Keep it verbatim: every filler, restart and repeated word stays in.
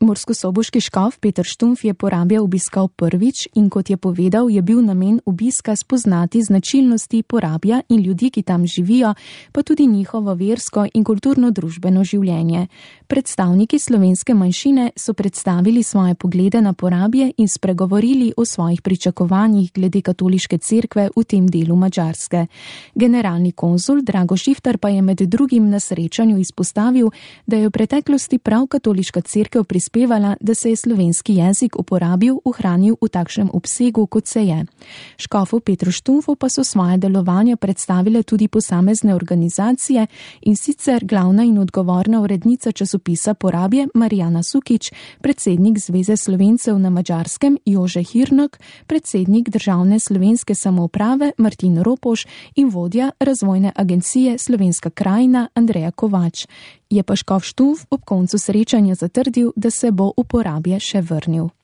Murskosoboški škof Peter Štumpf je Porabje obiskal prvič in kot je povedal, je bil namen obiska spoznati značilnosti Porabja in ljudi, ki tam živijo, pa tudi njihovo versko in kulturno-družbeno življenje. Predstavniki slovenske manjšine so predstavili svoje poglede na Porabje in spregovorili o svojih pričakovanjih glede katoliške cerkve v tem delu Madžarske. Generalni konzul Drago Šiftar pa je med drugim na srečanju izpostavil, da je v preteklosti prav katoliška cerkev prispevala, da se je slovenski jezik uporabil, ohranil v takšnem obsegu, kot se je. Škofu Petru Štumpfu pa so svoje delovanje predstavile tudi posamezne organizacije, in sicer glavna in odgovorna urednica časopisa Porabje Marijana Sukič, predsednik Zveze Slovencev na Madžarskem Jože Hirnok, predsednik Državne slovenske samouprave Martin Ropoš in vodja razvojne agencije Slovenska krajina Andreja Kovač. Je pa škof Štumpf ob koncu srečanja zatrdil, da se bo v Porabje še vrnil.